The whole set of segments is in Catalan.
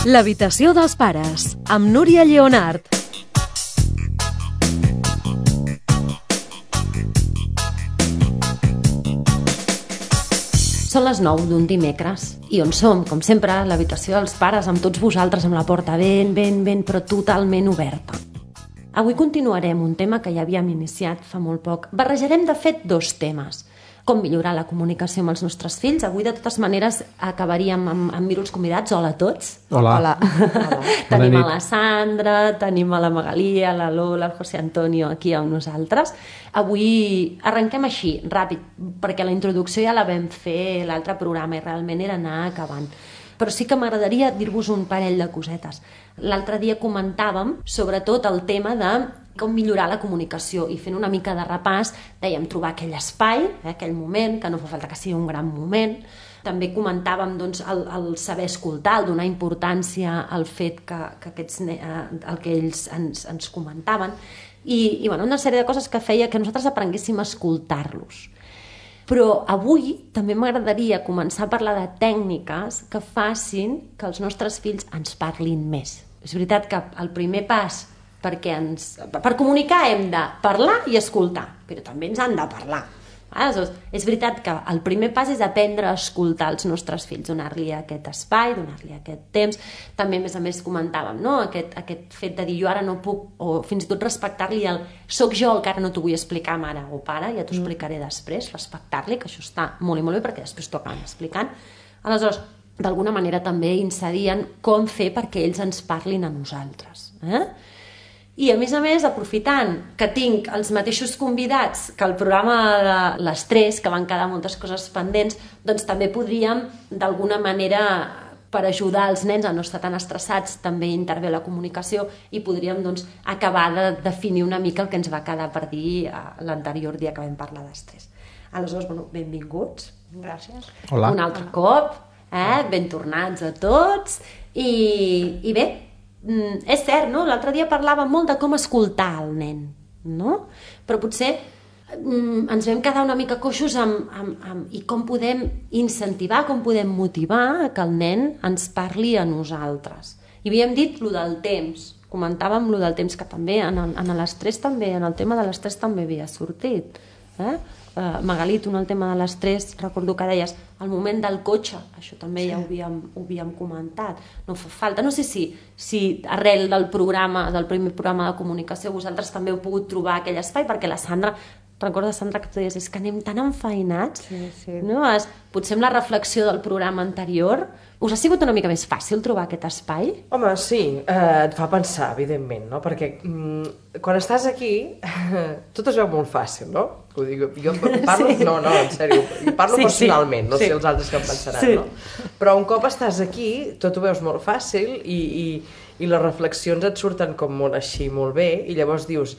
L'habitació dels pares, amb Núria Lleonart. Són les 9 d'un dimecres i on som, com sempre, a l'habitació dels pares, amb tots vosaltres, amb la porta ben, però totalment oberta. Avui continuarem un tema que ja havíem iniciat fa molt poc. Barrejarem, de fet, 2 temes. Com millorar la comunicació amb els nostres fills. Avui, de totes maneres, acabaríem amb mir els convidats. Hola a tots. Hola. Tenim a la Sandra, tenim a la Magalí, a la Lola, al José Antonio aquí amb nosaltres. Avui arrenquem així, ràpid, perquè la introducció ja la vam fer l'altre programa i realment era anar acabant. Però sí que m'agradaria dir-vos un parell de cosetes. L'altre dia comentàvem sobretot el tema de com millorar la comunicació i fent una mica de repàs dèiem trobar aquell espai, aquell moment, que no fa falta que sigui un gran moment. També comentàvem doncs, el saber escoltar, el donar importància al fet que el que ells ens comentaven i bueno, una sèrie de coses que feia que nosaltres aprenguéssim a escoltar-los. Però avui també m'agradaria començar a parlar de tècniques que facin que els nostres fills ens parlin més. És veritat que el primer pas per comunicar hem de parlar i escoltar, però també ens han de parlar. Aleshores, és veritat que el primer pas és aprendre a escoltar els nostres fills, donar-li aquest espai, donar-li aquest temps. També, a més, comentàvem, no? Aquest fet de dir jo ara no puc, o fins i tot respectar-li el soc jo el que ara no t'ho vull explicar, mare o pare, ja t'ho explicaré després, respectar-li, que això està molt i molt bé perquè després t'ho acaben explicant. Aleshores, d'alguna manera també incidien com fer perquè ells ens parlin a nosaltres. I a més, aprofitant que tinc els mateixos convidats que el programa de les 3, que van quedar moltes coses pendents, doncs també podríem, d'alguna manera, per ajudar els nens a no estar tan estressats, també intervé la comunicació i podríem doncs, acabar de definir una mica el que ens va quedar per dir l'anterior dia que vam parlar d'estrès. Aleshores, benvinguts. Gràcies. Hola. Un altre cop, ben tornats a tots. I bé, és cert, no? L'altre dia parlàvem molt de com escoltar el nen, no? Però potser ens vam quedar una mica coixos i com podem incentivar, com podem motivar que el nen ens parli a nosaltres. I havíem dit lo del temps, comentàvem lo del temps, que també en l'estrès també, en el tema de l'estrès també havia sortit. Magalí, tu en el tema de l'estrès, recordo que deies el moment del cotxe, això també ja ho havíem comentat. No fa falta, no sé si arrel del primer programa de comunicació vosaltres també heu pogut trobar aquell espai, perquè la Sandra, recorda, Sandra, que tu deies, és que anem tan enfeinats, no? Potser amb la reflexió del programa anterior, us ha sigut una mica més fàcil trobar aquest espai? Home, sí, et fa pensar, evidentment, no? Perquè quan estàs aquí, tot es veu molt fàcil, no? Ho dic, jo parlo, sí. No, en sèrio, parlo personalment, no sé els altres que em pensaran, no? Però un cop estàs aquí, tot ho veus molt fàcil i les reflexions et surten com molt així, molt bé, i llavors dius,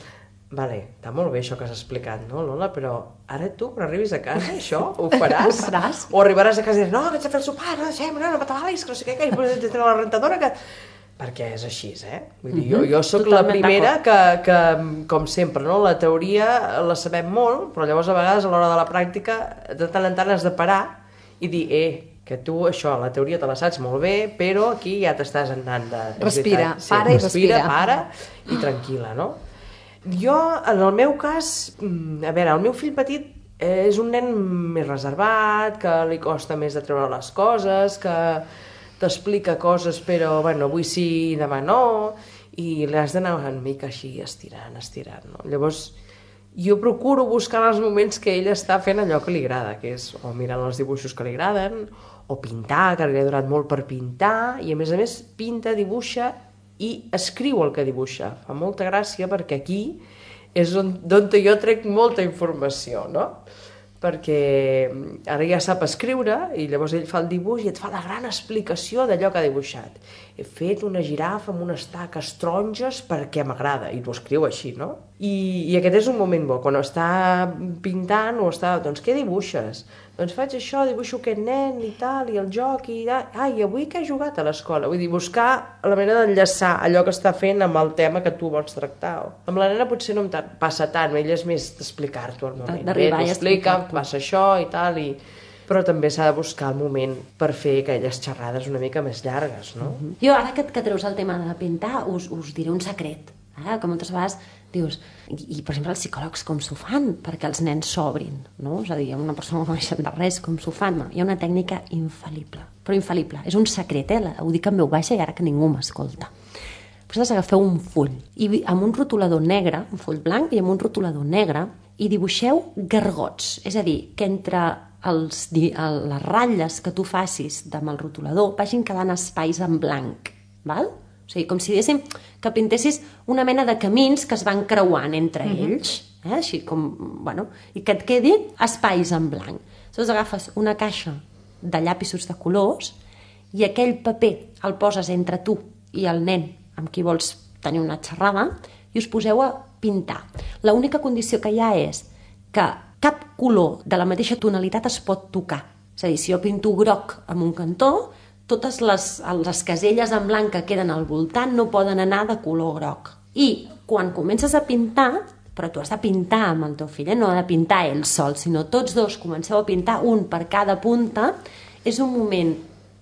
vale, està molt bé això que has explicat, no, Lola? Però ara tu, quan arribis a casa, això ho faràs? O arribaràs a casa i diràs, no, que ets a fer el sopar, no m'atabalis, que no sé què, que tens la rentadora, que... Perquè és així, Vull dir, jo sóc la primera que, com sempre, no? La teoria la sabem molt, però llavors a vegades a l'hora de la pràctica de tant en tant has de parar i dir, que tu això, la teoria te la saps molt bé, però aquí ja t'estàs anant de... Respira, para i tranquil·la, no? Jo, en el meu cas, a veure, el meu fill petit és un nen més reservat, que li costa més de treure les coses, que t'explica coses però, bueno, avui sí, demà no, i l'has d'anar una mica així estirant, no? Llavors, jo procuro buscar els moments que ell està fent allò que li agrada, que és o mirant els dibuixos que li agraden, o pintar, que li ha donat molt per pintar, i a més pinta, dibuixa i escriu el que dibuixa. Fa molta gràcia perquè aquí és d'on jo trec molta informació, no? Perquè ara ja sap escriure i llavors ell fa el dibuix i et fa la gran explicació d'allò que ha dibuixat. He fet una girafa amb unes taques taronges perquè m'agrada, i t'ho escriu així, no? I aquest és un moment bo, quan està pintant o està... Doncs què dibuixes? Doncs faig això, dibuixo aquest nen i tal, i el joc, i avui que he jugat a l'escola? Vull dir, buscar la manera d'enllaçar allò que està fent amb el tema que tu vols tractar. Amb la nena potser no em passa tant, ell és més d'explicar-t'ho al moment. D'arribar i explica, passa això i tal, però també s'ha de buscar el moment per fer aquelles xerrades una mica més llargues, no? Jo, ara que treus el tema de pintar, us diré un secret, que moltes vegades dius, i per exemple els psicòlegs com s'ho fan perquè els nens s'obrin, no? És a dir, una persona que no coneixen de res, com s'ho fan? Hi ha una tècnica infal·lible, però infal·lible, és un secret, ho dic en veu baixa i ara que ningú m'escolta. Vosaltres agafeu un full i amb un rotulador negre, un full blanc i amb un rotulador negre, i dibuixeu gargots, és a dir, que entre les ratlles que tu facis amb el rotulador vagin quedant espais en blanc, val? O sigui, com si diguéssim que pintessis una mena de camins que es van creuant entre ells, així com, bueno, i que et quedin espais en blanc. Llavors agafes una caixa de llapisos de colors i aquell paper el poses entre tu i el nen amb qui vols tenir una xerrada i us poseu a pintar. L'única condició que hi ha és que cap color de la mateixa tonalitat es pot tocar. És a dir, si jo pinto groc en un cantó, totes les caselles en blanc que queden al voltant no poden anar de color groc. I quan comences a pintar, però tu has de pintar amb el teu fill, no ha de pintar ell sol, sinó tots dos comenceu a pintar un per cada punta, és un moment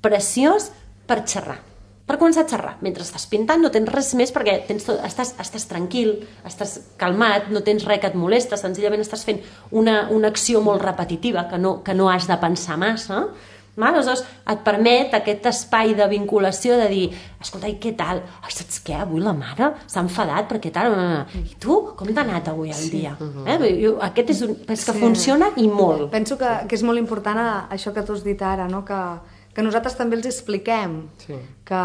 preciós per xerrar. Per començar a xerrar. Mentre estàs pintant no tens res més perquè estàs tranquil, estàs calmat, no tens res que et molesta, senzillament estàs fent una acció molt repetitiva que no has de pensar massa. Aleshores et permet aquest espai de vinculació de dir, escolta, i què tal? Ai, saps què? Avui la mare s'ha enfadat perquè tal... I tu, com t'ha anat avui el dia? Aquest és que funciona i molt. Penso que és molt important això que tu has dit ara, no? Que nosaltres també els expliquem que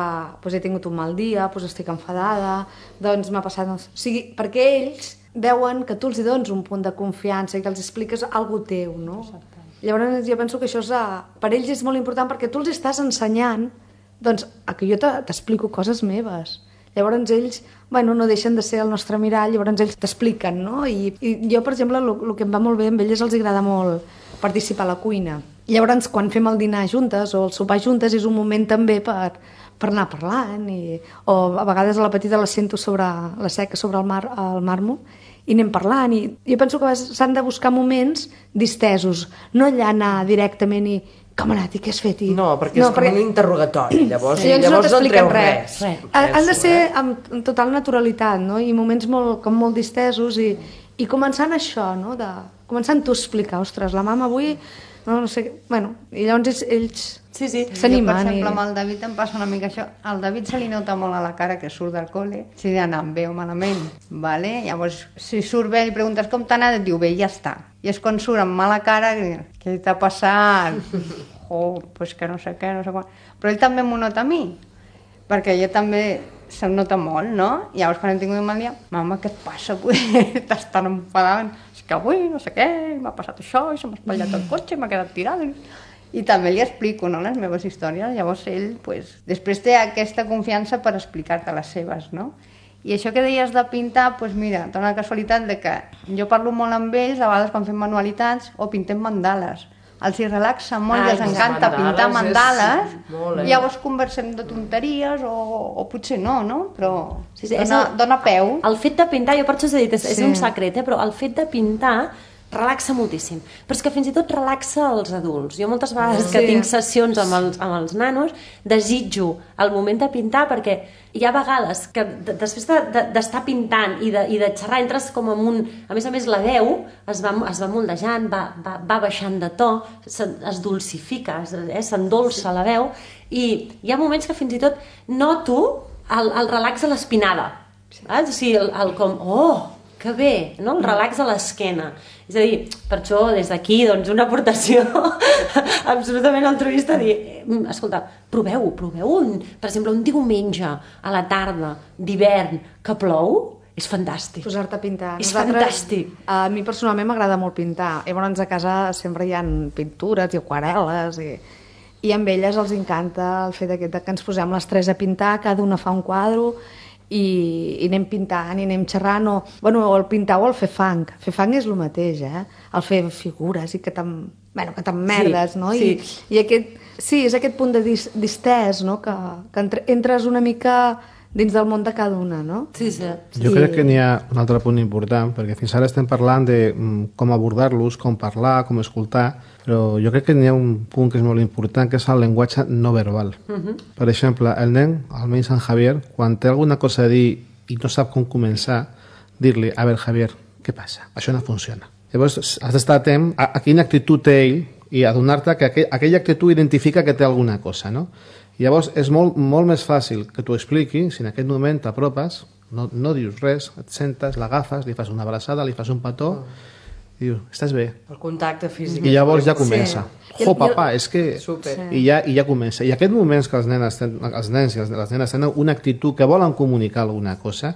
he tingut un mal dia, estic enfadada, doncs m'ha passat... O sigui, perquè ells veuen que tu els dones un punt de confiança i que els expliques alguna cosa teu, no? Exacte. Llavors jo penso que això per ells és molt important perquè tu els estàs ensenyant doncs, que jo t'explico coses meves. Llavors ells no deixen de ser el nostre mirall, llavors ells t'expliquen, no? I jo, per exemple, el que em va molt bé amb ells els agrada molt participar a la cuina. Llavors, quan fem el dinar juntes o el sopar juntes és un moment també per anar parlant o a vegades a la petita la sento sobre la seca, sobre el màrmol i anem parlant i jo penso que s'han de buscar moments distesos, no allà anar directament i com ha anat i què has fet? No, perquè és com un interrogatori, llavors no t'expliquen res. Han de ser amb total naturalitat, no? I moments molt distesos i començant això, no? Començant tu a explicar, ostres, la mama avui no sé, i llavors ells s'animen. Per exemple, amb el David em passa una mica això. Al David se li nota molt a la cara que surt del col·le, si ha anat bé o malament, vale? Llavors, si surt bé i preguntes com t'ha anat, et diu bé, ja està. I és quan surt amb mala cara, què t'ha passat? Pues que no sé què, no sé quan. Però ell també m'ho nota a mi, perquè jo també se'm nota molt, no? I llavors, quan hem tingut un mal dia, mama, què et passa? T'estàs tan enfadant. És que avui no sé què, m'ha passat això, i se m'ha espatllat el cotxe, m'ha quedat tirada. I també li explico, no?, les meves històries. Llavors ell, després té aquesta confiança per explicar-te les seves, no? I això que deies de pintar, mira, dona la casualitat de que jo parlo molt amb ells, a vegades quan fem manualitats o pintem mandales. Els hi relaxa molt i els encanta pintar mandales i llavors conversem de tonteries o potser no? Però dona peu. El fet de pintar, jo per això us he dit, és un secret, però el fet de pintar relaxa moltíssim, però és que fins i tot relaxa els adults. Jo moltes vegades que tinc sessions amb els nanos desitjo el moment de pintar perquè hi ha vegades que després d'estar pintant i de xerrar entres com amb un... A més, la veu es va moldejant, va baixant de to, es dulcifica, s'endolça la veu i hi ha moments que fins i tot noto el relax a l'espinada. O sigui, el com... Que bé, no? El relax a l'esquena. És a dir, per això, des d'aquí, doncs, una aportació absolutament altruista, dir, escolta, proveu-ho, per exemple, un diumenge a la tarda d'hivern que plou, és fantàstic. Posar-te a pintar. És fantàstic. A mi personalment m'agrada molt pintar. Llavors a casa sempre hi ha pintures i aquarel·les i amb elles els encanta el fet que ens posem les tres a pintar, cada una fa un quadre i anem pintant i anem xerrant o el pintar o el fer fang. Fer fang és el mateix, el fer figures i que t'emmerdes, no? I és aquest punt de distès, no? Que entres una mica dins del món de cada una, no? Sí. Jo crec que n'hi ha un altre punt important, perquè fins ara estem parlant de com abordar-los, com parlar, com escoltar, però jo crec que n'hi ha un punt que és molt important, que és el llenguatge no verbal. Per exemple, el nen, almenys en Javier, quan té alguna cosa a dir i no sap com començar, dir-li, a veure, Javier, què passa? Això no funciona. Llavors, has d'estar atent a quina actitud té ell i adonar-te que aquella actitud identifica que té alguna cosa, no? Llavors, és molt més fàcil que t'ho expliqui si en aquest moment t'apropes, no dius res, et sentes, l'agafes, li fas una abraçada, li fas un petó, i dius, estàs bé? El contacte físic. I llavors ja comença. Jo, papa, és que... Super. I ja comença. I aquests moments que els nens i les nenes tenen una actitud que volen comunicar alguna cosa,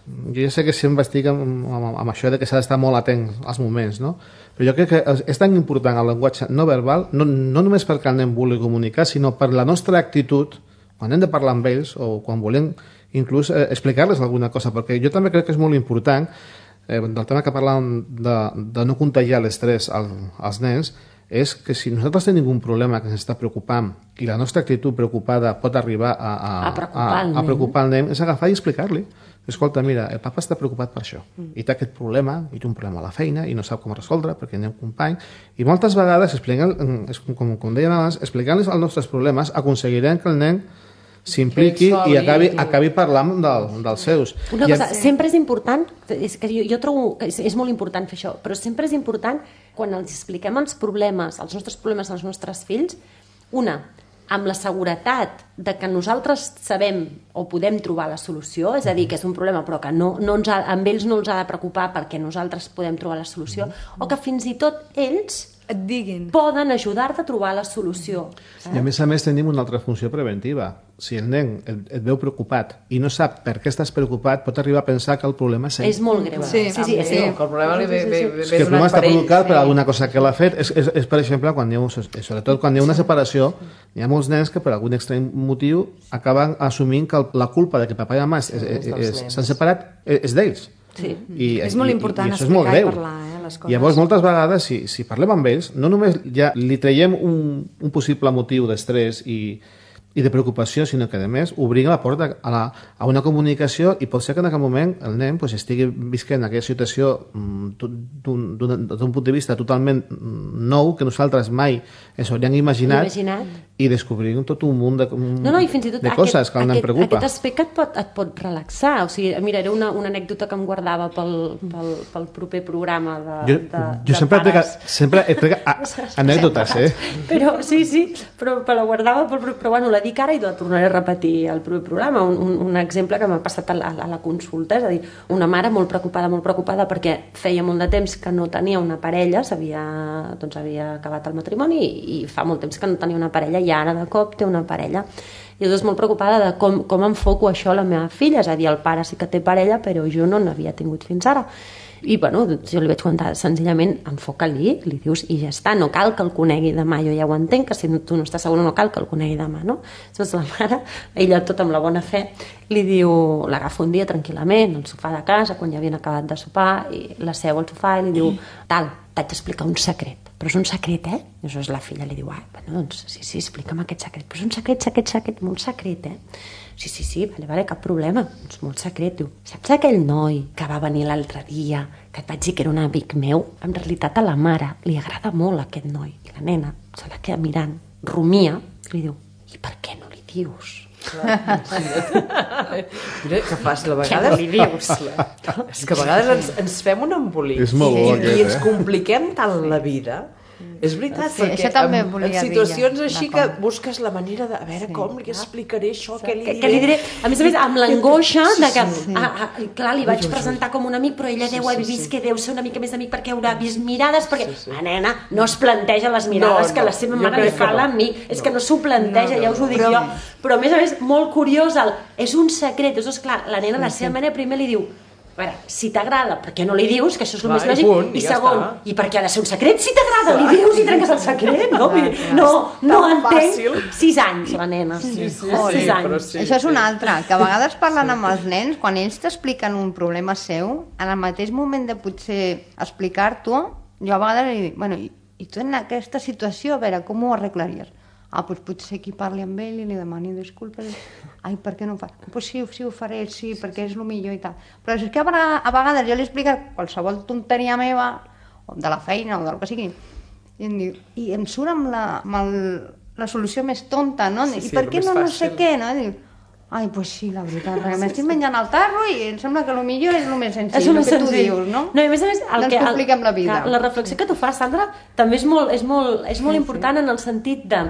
jo ja sé que sempre estic amb això de que s'ha d'estar molt atent als moments, no? Però jo crec que és tan important el llenguatge no verbal, no només perquè el nen vulgui comunicar, sinó per la nostra actitud, quan hem de parlar amb ells o quan volem inclús explicar-les alguna cosa, perquè jo també crec que és molt important, del tema que parlàvem de no contagiar l'estrès als nens, és que si nosaltres tenim un problema que ens està preocupant i la nostra actitud preocupada pot arribar a preocupar el nen, és agafar i explicar-li. Escolta, mira, el papa està preocupat per això i té aquest problema, i té un problema a la feina i no sap com resoldre perquè hi ha un company, i moltes vegades, com dèiem abans, explicant-los els nostres problemes aconseguirem que el nen s'impliqui i acabi parlant dels seus. Una cosa, sempre és important, és que jo trobo que és molt important fer això, però sempre és important quan els expliquem els nostres problemes als nostres fills, amb la seguretat de que nosaltres sabem o podem trobar la solució, és a dir, que és un problema però que amb ells no els ha de preocupar perquè nosaltres podem trobar la solució, o que fins i tot ells et diguin. Poden ajudar-te a trobar la solució. I a més tenim una altra funció preventiva. Si el nen et veu preocupat i no sap per què estàs preocupat, pot arribar a pensar que el problema és ell. És molt greu. Sí, que el problema li ve que el problema està provocat per alguna cosa que l'ha fet. És per exemple, sobretot quan hi ha una separació, hi ha molts nens que per algun estrany motiu acaben assumint que la culpa de que papa i mama s'han separat és d'ells. Sí. És molt important explicar i parlar les coses. Llavors, moltes vegades, si parlem amb ells, no només ja li traiem un possible motiu d'estrès i de preocupació, sinó que, a més, obrim la porta a una comunicació i pot ser que en aquell moment el nen estigui visquent aquella situació d'un punt de vista totalment nou, que nosaltres mai ens hauríem imaginat i descobrim tot un munt de coses que el nen preocupa. Aquest aspecte et pot relaxar. O sigui, mira, era una anècdota que em guardava pel proper programa jo sempre he tregat anècdotes, Però sí, però la guardava però bueno, la dic ara i la tornaré a repetir al proper programa. Un exemple que m'ha passat a la consulta, és a dir, una mare molt preocupada perquè feia molt de temps que no tenia una parella, havia acabat el matrimoni i fa molt temps que no tenia una parella i ara de cop té una parella. I és molt preocupada de com enfoco això a la meva filla, és a dir, el pare sí que té parella però jo no n'havia tingut fins ara. I bueno, jo li vaig comentar senzillament, enfoca-li, li dius i ja està, no cal que el conegui demà, jo ja ho entenc, que si tu no estàs segura no cal que el conegui demà, no? Llavors la mare, ella tot amb la bona fe, li diu, l'agafa un dia tranquil·lament al sofà de casa, quan ja havien acabat de sopar, i la seu al sofà i li diu, t'haig d'explicar un secret, però és un secret, I llavors la filla li diu, bueno, doncs sí, explica'm aquest secret, però és un secret, molt secret, Sí, vale, cap problema. És molt secret, diu. Saps aquell noi que va venir l'altre dia, que et vaig dir que era un amic meu? En realitat a la mare li agrada molt aquest noi. I la nena se la queda mirant, rumia, i li diu, i per què no li dius? Mira, que fàcil, a vegades... Què no li dius? És que a vegades ens fem un embolic i ens compliquem tant la vida. És veritat, perquè en situacions així que busques la manera de... A veure, com li explicaré això, què li diré... A més, amb l'angoixa de que... Clar, li vaig presentar com un amic, però ella deu haver vist que deu ser una mica més amic perquè haurà vist mirades, perquè la nena no es planteja les mirades que la seva mare li fa a l'amic. És que no s'ho planteja, ja us ho dic jo. Però a més, molt curiós, és un secret. És clar, la nena, la seva mare primer li diu, a veure, si t'agrada, per què no li dius, que això és el més lògic, i segon, i per què ha de ser un secret? Si t'agrada, li dius i trenques el secret, no? No entenc. 6 anys, la nena. 6 anys. Això és un altre, que a vegades parlant amb els nens, quan ells t'expliquen un problema seu, en el mateix moment de potser explicar-t'ho, jo a vegades li dic, bueno, i tu en aquesta situació, a veure, com ho arreglaries? doncs potser qui parli amb ell i li demani disculpes. Ai, per què no ho fa? Doncs sí, ho faré, sí, perquè és el millor i tal. Però és que a vegades jo li explico qualsevol tonteria meva, o de la feina, o del que sigui, i em surt amb la solució més tonta, no? I per què no sé què, no? I diu, ai, doncs sí, la veritat, m'estic menjant el tarro i em sembla que el millor és el més senzill, el que tu dius, no? No, i a més, no ens compliquem la vida. La reflexió que tu fas, Sandra, també és molt important en el sentit de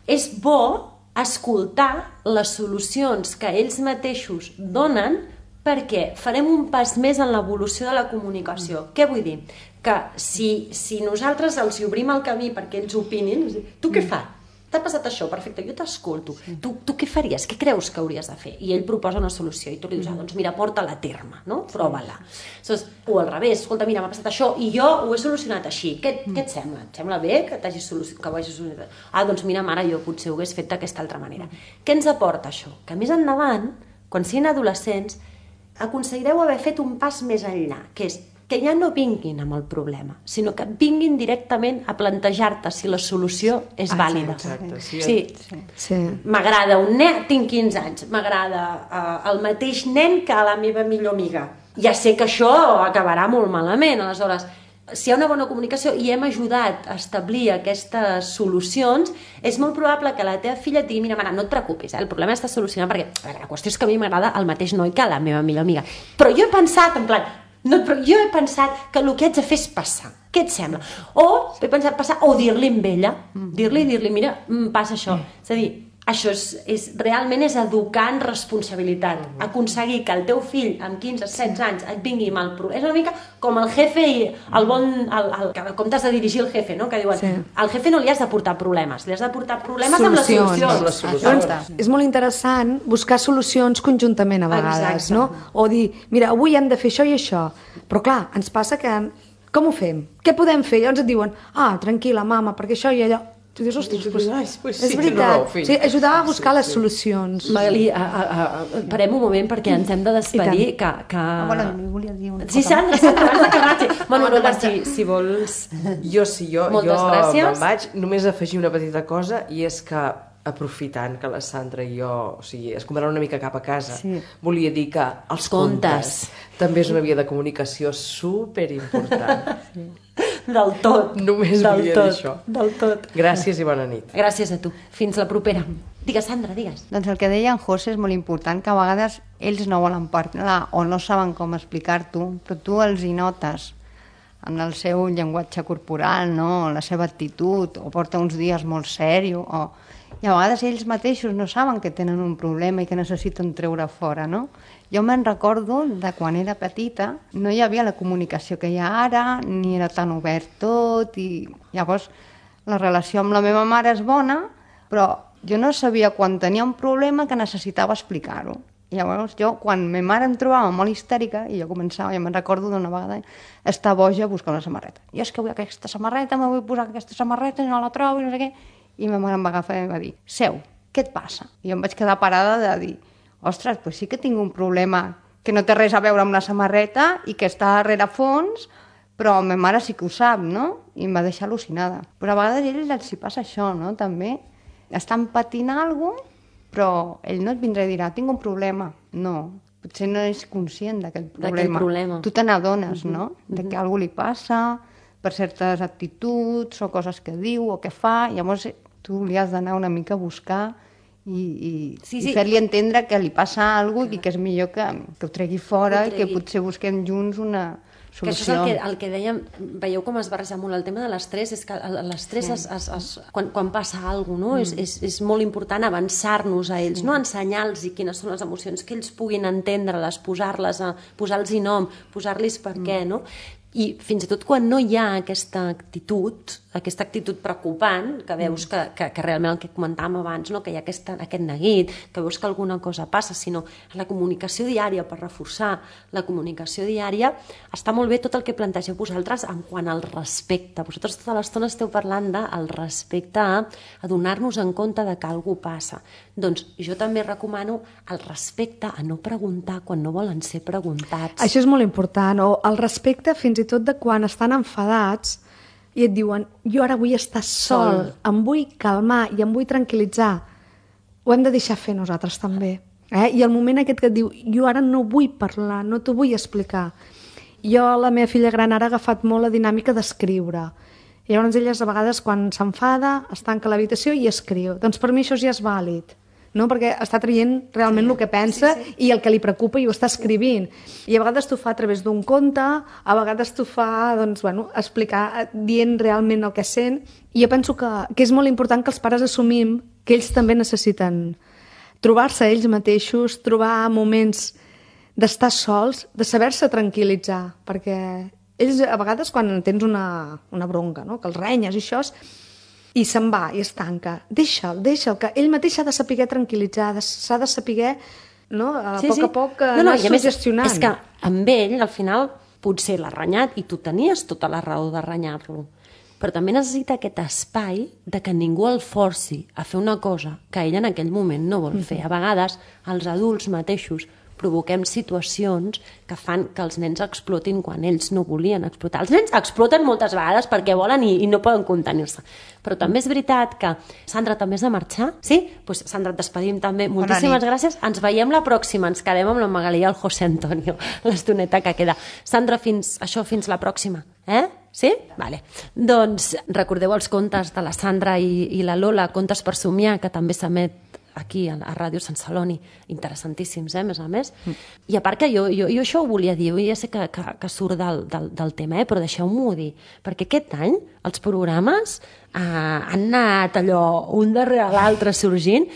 és bo escoltar les solucions que ells mateixos donen perquè farem un pas més en l'evolució de la comunicació. Què vull dir? Que si nosaltres els obrim el camí perquè ells opinin, tu què fas? T'ha passat això, perfecte, jo t'escolto. Tu què faries? Què creus que hauries de fer? I ell proposa una solució i tu li dius, doncs mira, porta-la a terme, no? Prova-la. O al revés, escolta, mira, m'ha passat això i jo ho he solucionat així. Què et sembla? Et sembla bé que ho hagis solucionat? Doncs mira, mare, jo potser ho hagués fet d'aquesta altra manera. Què ens aporta això? Que més endavant, quan siguin adolescents, aconseguireu haver fet un pas més enllà, que és que ja no vinguin amb el problema, sinó que vinguin directament a plantejar-te si la solució és vàlida. Exacte, sí. M'agrada un nen, tinc 15 anys, m'agrada el mateix nen que la meva millor amiga. Ja sé que això acabarà molt malament, aleshores, si hi ha una bona comunicació i hem ajudat a establir aquestes solucions, és molt probable que la teva filla et digui, mira, mare, no et preocupis, el problema està solucionat perquè la qüestió és que a mi m'agrada el mateix noi que la meva millor amiga. Però jo he pensat, en plan, no, però jo he pensat que el que haig de fer és passar. Què et sembla? O he pensat passar, o dir-li amb ella, dir-li, mira, passa això. És a dir, això realment és educar en responsabilitat. Aconseguir que el teu fill amb 15-16 anys et vingui amb el problema. És una mica com el jefe i com t'has de dirigir el jefe, no? Que diuen, al jefe no li has de portar problemes, li has de portar problemes amb les solucions. És molt interessant buscar solucions conjuntament a vegades, no? O dir, mira, avui hem de fer això i això. Però clar, ens passa que com ho fem? Què podem fer? Llavors et diuen, tranquil·la, mama, perquè això i allò. Tu dius, ostres, és veritat. Ajudar a buscar les solucions. Magali, parem un moment perquè ens hem de despedir. Bueno, jo volia dir una cosa. Sí, Sandra, abans d'acabar. Bueno, si vols... Jo me'n vaig només afegir una petita cosa i és que aprofitant que la Sandra i jo, o sigui, es convidaran una mica cap a casa, volia dir que els contes també és una via de comunicació superimportant. Del tot. Només volia dir això. Del tot. Gràcies i bona nit. Gràcies a tu. Fins la propera. Digues, Sandra, digues. Doncs el que deia en José és molt important, que a vegades ells no volen parlar o no saben com explicar-t'ho, però tu els hi notes en el seu llenguatge corporal, no? La seva actitud, o porta uns dies molt sèrio, i a vegades ells mateixos no saben que tenen un problema i que necessiten treure fora, no? Jo me'n recordo de quan era petita, no hi havia la comunicació que hi ha ara, ni era tan obert tot, i llavors la relació amb la meva mare és bona, però jo no sabia quan tenia un problema que necessitava explicar-ho. I llavors jo, quan ma mare em trobava molt histèrica, i jo començava, me'n recordo d'una vegada, estar boja a buscar una samarreta. Jo és que vull aquesta samarreta, me vull posar aquesta samarreta i no la trobo, i no sé què. I ma mare em va agafar i em va dir, Seu, què et passa? I jo em vaig quedar parada de dir, ostres, pues sí que tinc un problema que no té res a veure amb la samarreta i que està a rerefons, però ma mare sí que ho sap, no? I em va deixar al·lucinada. Però a vegades a ells els hi passa això, no? També estan patint alguna cosa, però ell no et vindrà i dirà, tinc un problema. No, potser no és conscient d'aquest problema. Tu te n'adones, no? De que algú li passa per certes actituds o coses que diu o que fa, llavors tu li has d'anar una mica a buscar i fer-li entendre que li passa alguna cosa i que és millor que ho tregui fora i que potser busquem junts una solució. Que això és el que dèiem, veieu com es barreja molt el tema de l'estrès, és que l'estrès quan passa alguna cosa, no? És molt important avançar-nos a ells, no ensenyar-los quines són les emocions, que ells puguin entendre-les, posar-los nom, posar-los per què, no? I fins i tot quan no hi ha aquesta actitud preocupant, que veus que realment el que comentàvem abans, no? Que hi ha aquest neguit, que veus que alguna cosa passa, sinó la comunicació diària, per reforçar la comunicació diària, està molt bé tot el que plantegeu vosaltres en quant al respecte. Vosaltres tota l'estona esteu parlant del respecte a donar-nos en compte de que alguna cosa passa. Doncs jo també recomano el respecte a no preguntar quan no volen ser preguntats. Això és molt important, o el respecte fins i tot de quan estan enfadats i et diuen, jo ara vull estar sol, em vull calmar i em vull tranquil·litzar, ho hem de deixar fer nosaltres també. I el moment aquest que et diu, jo ara no vull parlar, no t'ho vull explicar. Jo, la meva filla gran, ara ha agafat molt la dinàmica d'escriure. I llavors elles a vegades quan s'enfada es tanca a l'habitació i escriu. Doncs per mi això ja és vàlid, no? Perquè està traient realment el que pensa i el que li preocupa i ho està escrivint. I a vegades t'ho fa a través d'un conte, a vegades t'ho fa explicar, dient realment el que sent. I jo penso que és molt important que els pares assumim que ells també necessiten trobar-se ells mateixos, trobar moments d'estar sols, de saber-se tranquil·litzar, perquè ells a vegades quan tens una bronca, no? Que els renyes i això, i se'n va i es tanca. Deixa'l, que ell mateix s'ha de saber tranquil·litzar, s'ha de saber, no? A poc anar suggestionant. És que amb ell, al final, potser l'ha renyat i tu tenies tota la raó de renyar-lo. Però també necessita aquest espai de que ningú el forci a fer una cosa que ell en aquell moment no vol fer. A vegades, els adults mateixos provoquem situacions que fan que els nens explotin quan ells no volien explotar. Els nens exploten moltes vegades perquè volen i no poden contenir-se. Però també és veritat que... Sandra, també has de marxar? Sí? Doncs Sandra, et despedim també. Moltíssimes gràcies. Ens veiem la pròxima. Ens quedem amb la Magalí i el José Antonio, l'estoneta que queda. Sandra, fins la pròxima. Sí? Vale. Doncs recordeu els contes de la Sandra i la Lola, Contes per somiar, que també s'emet aquí a Ràdio Sant Celoni, interessantíssims, més a més. I a part que jo això ho volia dir, ja sé que surt del tema, però deixeu-m'ho dir, perquè aquest any els programes han anat allò un darrere l'altre sorgint,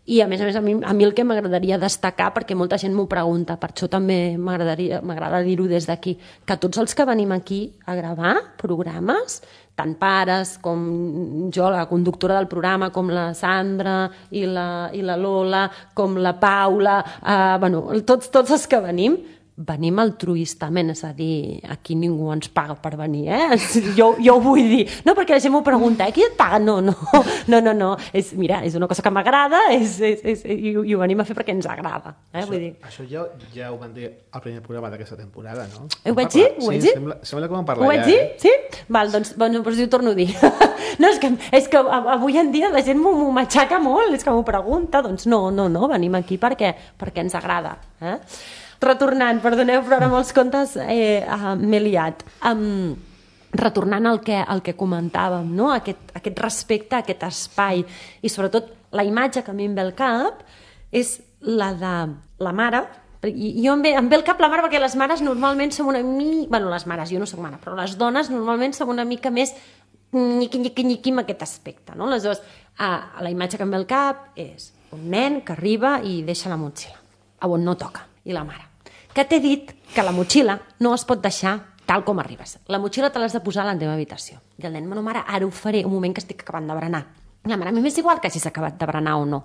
i a més a mi el que m'agradaria destacar, perquè molta gent m'ho pregunta, per això també m'agrada dir-ho des d'aquí, que tots els que venim aquí a gravar programes, tant pares com jo, la conductora del programa, com la Sandra i la Lola, com la Paula, tots els que venim altruistament, és a dir, aquí ningú ens paga per venir, jo ho vull dir. No, perquè la gent m'ho pregunta, qui et paga? No. Mira, és una cosa que m'agrada i ho venim a fer perquè ens agrada. Vull dir. Això ja ho van dir al primer programa d'aquesta temporada, no? Ho vaig dir? Sí, sembla que ho vam parlar ja. Ho vaig dir? Sí? Val, doncs ho torno a dir. No, és que avui en dia la gent m'ho matxaca molt, és que m'ho pregunta, doncs no, venim aquí perquè ens agrada. Retornant, perdoneu, però ara amb els contes m'he liat. Retornant al que comentàvem, no? Aquest respecte, aquest espai, i sobretot la imatge que a mi em ve al cap és la de la mare. I em ve al cap la mare perquè les mares normalment som una mica... Bueno, les mares, jo no soc mare, però les dones normalment som una mica més nyiqui amb aquest aspecte, no? Aleshores, la imatge que em ve al cap és un nen que arriba i deixa la motxilla on no toca. I la mare, que t'he dit que la motxilla no es pot deixar tal com arribes. La motxilla te l'has de posar a la teva habitació. I el nen, bueno, mare, ara ho faré, un moment que estic acabant de berenar. I la mare, a mi m'és igual que si s'ha acabat de berenar o no.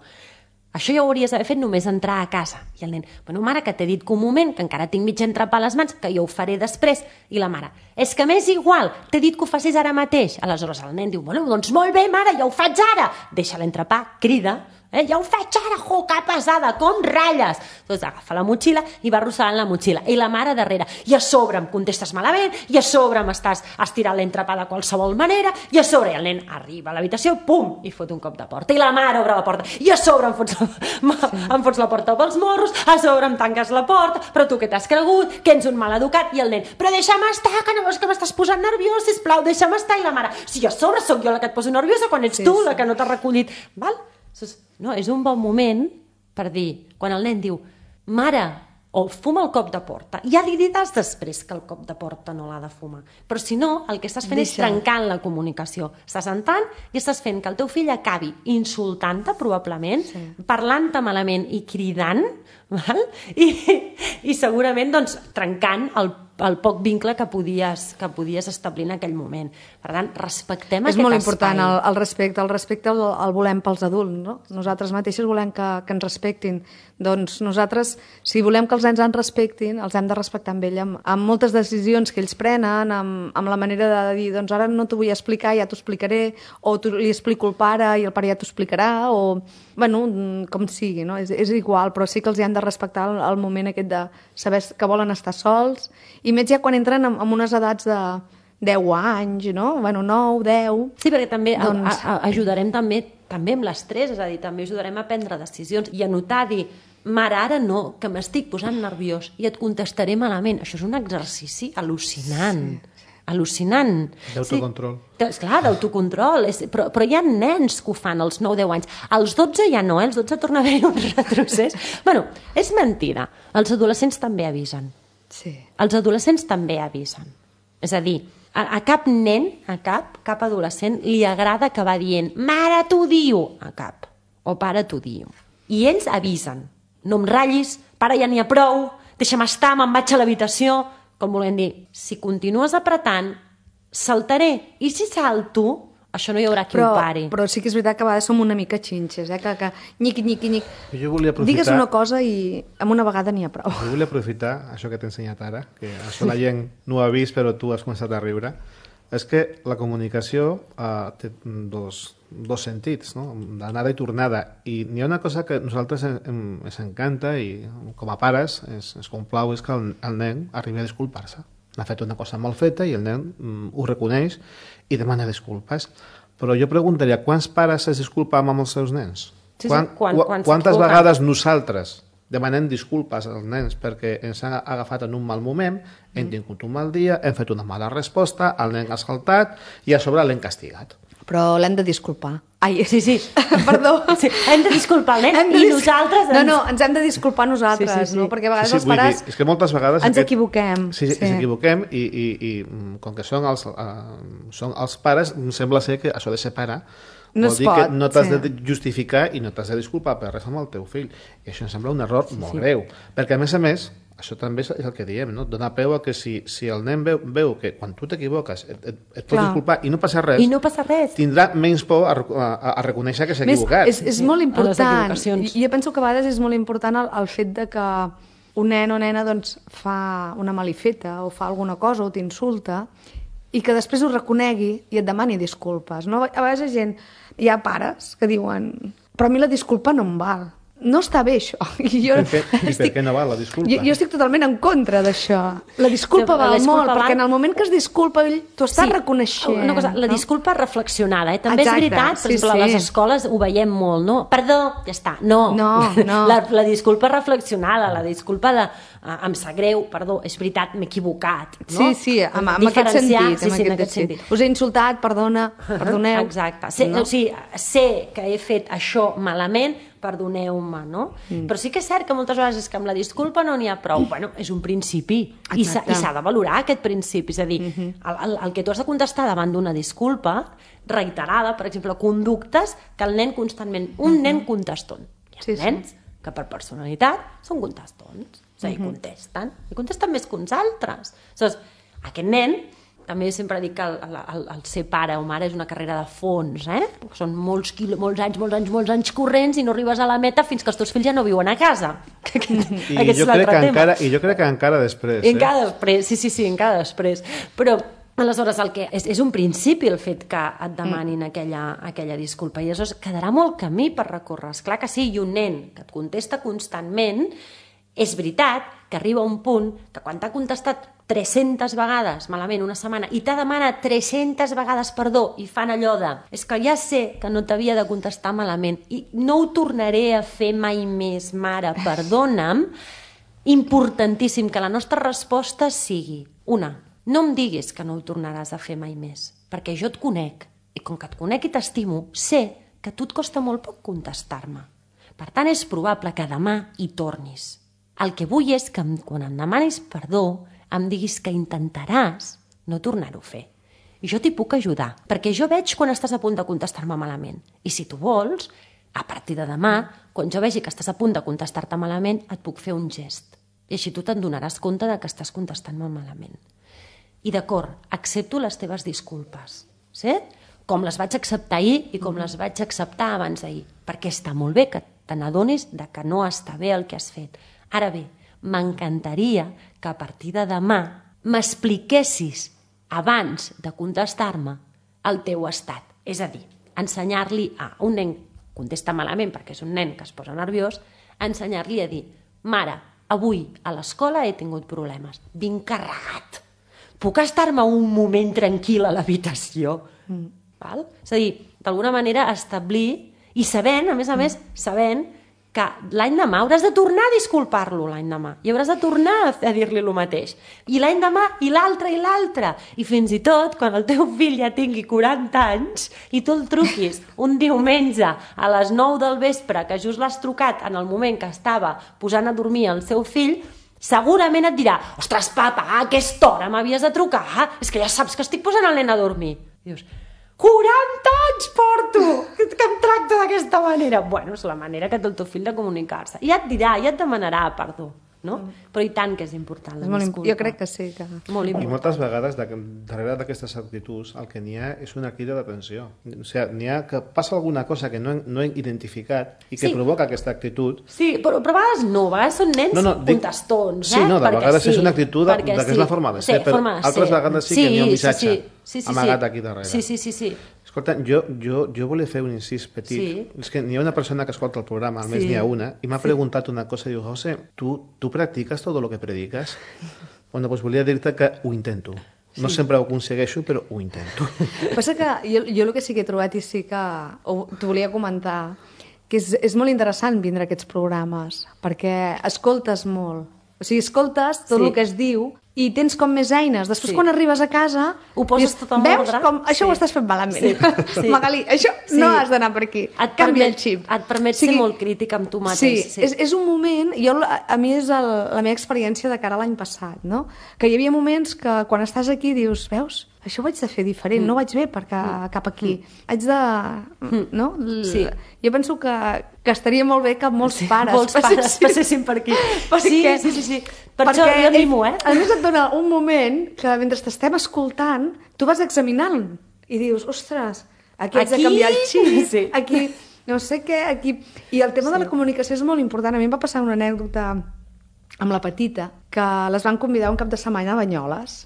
Això ja ho hauries d'haver fet només entrar a casa. I el nen, bueno, mare, que t'he dit que un moment, que encara tinc mig entrepà a les mans, que jo ho faré després. I la mare, és que m'és igual, t'he dit que ho facis ara mateix. Aleshores el nen diu, bueno, doncs molt bé, mare, ja ho faig ara. Deixa l'entrepà, crida, ja ho faig ara, que pesada, com ratlles. Doncs agafa la motxilla i va arrossegant la motxilla. I la mare darrere, i a sobre em contestes malament, i a sobre m'estàs estirant l'entrepà de qualsevol manera, i a sobre el nen arriba a l'habitació, pum, i fot un cop de porta. I la mare obre la porta, i a sobre em fots la porta pels morros, a sobre em tanques la porta, però tu què t'has cregut, que ets un maleducat, i el nen, però deixa'm estar, que no veus que m'estàs posant nerviós, sisplau, deixa'm estar. I la mare, si a sobre sóc jo la que et poso nerviosa quan ets tu la que no t'has recollit. Val? No, és un bon moment per dir, quan el nen diu, mare, o fuma el cop de porta, ja li diràs després que el cop de porta no l'ha de fumar, però si no, el que estàs fent és trencant la comunicació, estàs entrant i estàs fent que el teu fill acabi insultant-te probablement, parlant-te malament i cridant, val? I segurament doncs, trencant el poc vincle que podies establir en aquell moment. Per tant, respectem aquest espai. És molt important el respecte el volem pels adults, no? Nosaltres mateixos volem que ens respectin. Doncs nosaltres, si volem que els nens ens respectin, els hem de respectar amb ell, amb moltes decisions que ells prenen, amb la manera de dir, doncs ara no t'ho vull explicar, ja t'ho explicaré, o li explico al pare i el pare ja t'ho explicarà, o, bueno, com sigui, no? És igual, però sí que els hem de respectar el moment aquest de saber que volen estar sols, i més ja quan entren en unes edats 10 anys, no? Bueno, 9, 10... Sí, perquè també ajudarem també amb l'estrès, és a dir, també ajudarem a prendre decisions i a notar, dir, mare, ara no, que m'estic posant nerviós i et contestaré malament. Això és un exercici al·lucinant. Al·lucinant. D'autocontrol. Sí, clar, d'autocontrol. Però hi ha nens que ho fan als 9-10 anys. Als 12 ja no, als 12 torna a haver un retrocés. Bueno, és mentida. Els adolescents també avisen. Sí. Els adolescents també avisen. És a dir, a cap nen, a cap adolescent li agrada que va dient mare t'ho diu, a cap. O pare t'ho diu. I ells avisen. No em ratllis, pare ja n'hi ha prou, deixa'm estar, me'n vaig a l'habitació. Com volem dir, si continues apretant, saltaré. I si salto, això no hi haurà qui ho pari. Però sí que és veritat que a vegades som una mica xinxes, que nyic. Jo volia aprofitar... Digues una cosa i amb una vegada n'hi ha prou. Jo volia aprofitar això que t'he ensenyat ara, que això la gent no ho ha vist, però tu has començat a riure. És que la comunicació té dos sentits, no? D'anada i tornada. I n'hi ha una cosa que a nosaltres ens encanta i com a pares ens complau, és que el nen arribi a disculpar-se. N'ha fet una cosa mal feta i el nen ho reconeix i demana disculpes. Però jo preguntaria, quants pares es disculpem amb els seus nens? Quantes vegades nosaltres demanem disculpes als nens perquè ens han agafat en un mal moment, hem tingut un mal dia, hem fet una mala resposta, el nen ha saltat i a sobre l'hem castigat. Però l'hem de disculpar. Ai, sí. Perdó. Sí, hem de disculpar el nen i nosaltres... No, ens hem de disculpar nosaltres, no? Perquè a vegades els pares és que moltes vegades ens equivoquem. Sí, ens equivoquem i com que són els pares, sembla ser que això de ser pare vol dir que no t'has de justificar i no t'has de disculpar per res amb el teu fill. I això em sembla un error molt greu. Perquè, a més, això també és el que diem, no? Dona peu a que si el nen veu que quan tu t'equivoques et pots disculpar i no passa res, tindrà menys por a reconèixer que s'ha equivocat. És molt important. Jo penso que a vegades és molt important el fet de que un nen o nena doncs, fa una malifeta o fa alguna cosa o t'insulta i que després ho reconegui i et demani disculpes. No? A vegades hi ha pares que diuen però a mi la disculpa no em val. No està bé, això. I per què no val la disculpa? Jo estic totalment en contra d'això. La disculpa val molt, perquè en el moment que es disculpa, tu estàs reconeixent. Una cosa, la disculpa reflexionada, També és veritat, per exemple, a les escoles ho veiem molt, no? Perdó, ja està. No. La disculpa reflexionada, la disculpa de em sap greu, perdó, és veritat, m'he equivocat. Sí, en aquest sentit. Us he insultat, perdoneu. Exacte. Sé que he fet això malament, perdoneu-me, no? Però sí que és cert que moltes vegades és que amb la disculpa no n'hi ha prou. Bueno, és un principi i s'ha de valorar aquest principi. És a dir, el que tu has de contestar davant d'una disculpa reiterada, per exemple, conductes que el nen constantment... Un nen conteston. Hi ha nens que per personalitat són contestons. És a dir, contesten més que uns altres. Aleshores, aquest nen... També sempre dic que el ser pare o mare és una carrera de fons, Són molts anys corrents i no arribes a la meta fins que els teus fills ja no viuen a casa. I jo crec que encara després. Encara després, sí, encara després. Però, aleshores, el que és un principi el fet que et demanin aquella disculpa. I aleshores quedarà molt camí per recórrer. Esclar que sí, i un nen que et contesta constantment, és veritat que arriba un punt que quan t'ha contestat 300 vegades malament una setmana i t'ha demanat 300 vegades perdó i fan allò de és que ja sé que no t'havia de contestar malament i no ho tornaré a fer mai més, mare, perdona'm, importantíssim que la nostra resposta sigui una, no em diguis que no ho tornaràs a fer mai més, perquè jo et conec i com que et conec i t'estimo, sé que a tu et costa molt poc contestar-me. Per tant, és probable que demà hi tornis. El que vull és que quan em demanis perdó em diguis que intentaràs no tornar-ho a fer. I jo t'hi puc ajudar, perquè jo veig quan estàs a punt de contestar-me malament. I si tu vols, a partir de demà, quan jo vegi que estàs a punt de contestar-te malament, et puc fer un gest. I així tu te'n donaràs compte de que estàs contestant-me malament. I d'acord, accepto les teves disculpes. Sí? Com les vaig acceptar ahir i com les vaig acceptar abans d'ahir. Perquè està molt bé que te n'adonis que no està bé el que has fet. Ara bé, m'encantaria que a partir de demà m'expliquessis abans de contestar-me el teu estat. És a dir, ensenyar-li a un nen que contesta malament perquè és un nen que es posa nerviós, ensenyar-li a dir, mare, avui a l'escola he tingut problemes, vinc carregat. puc estar-me un moment tranquil a l'habitació? Val? És a dir, d'alguna manera establir i sabent, a més, sabent que l'any demà hauràs de tornar a disculpar-lo l'any demà i hauràs de tornar a dir-li el mateix i l'any demà i l'altre i fins i tot quan el teu fill ja tingui 40 anys i tu el truquis un diumenge a les 9 del vespre que just l'has trucat en el moment que estava posant a dormir el seu fill, segurament et dirà: ostres papa, a aquesta hora m'havies de trucar, és que ja saps que estic posant el nen a dormir. I dius: 40 anys porto, que em tracta d'aquesta manera. Bueno, és la manera que té el teu fill de comunicar-se. I ja et dirà, ja et demanarà perdó, no? Però i tant que és important la disculpa. Jo crec que sí. Que... I moltes vegades, darrere d'aquestes actituds, el que n'hi ha és una crida d'atenció. O sigui, n'hi ha que passa alguna cosa que no he identificat i que provoca aquesta actitud. Sí, però a vegades no, a vegades són nens contestons. Sí, no, de vegades és una actitud que és la forma de ser, però altres vegades sí que n'hi ha un missatge amagat aquí darrere. Sí. Escolta, jo volia fer un incís petit. Sí. És que n'hi ha una persona que escolta el programa, almenys n'hi ha una, i m'ha preguntat una cosa, diu: José, ¿tú practicas todo lo que predicas? Bueno, pues volia dir-te que ho intento. No sempre ho aconsegueixo, però ho intento. Passa que jo el que sí que he trobat i sí que t'ho volia comentar, que és molt interessant vindre a aquests programes, perquè escoltes molt. O sigui, escoltes tot el que es diu i tens com més eines. Després, quan arribes a casa, ho poses tot en ordre. Veus com això ho estàs fent malament. Magalí, això no has d'anar per aquí. Canvia el xip. Et permet ser molt crític amb tu mateix. Sí, és un moment... A mi és la meva experiència de cara a l'any passat, no? Que hi havia moments que quan estàs aquí dius: veus? Això ho haig de fer diferent, no vaig bé cap aquí. Haig de... No? Sí. Jo penso que estaria molt bé que molts pares passessin per aquí. Sí. Per això jo animo, A més et dona un moment que mentre t'estem escoltant, tu vas examinant i dius: ostres, aquí haig de canviar el xip, aquí no sé què, aquí... I el tema de la comunicació és molt important. A mi em va passar una anècdota amb la petita, que les van convidar un cap de setmana a Banyoles,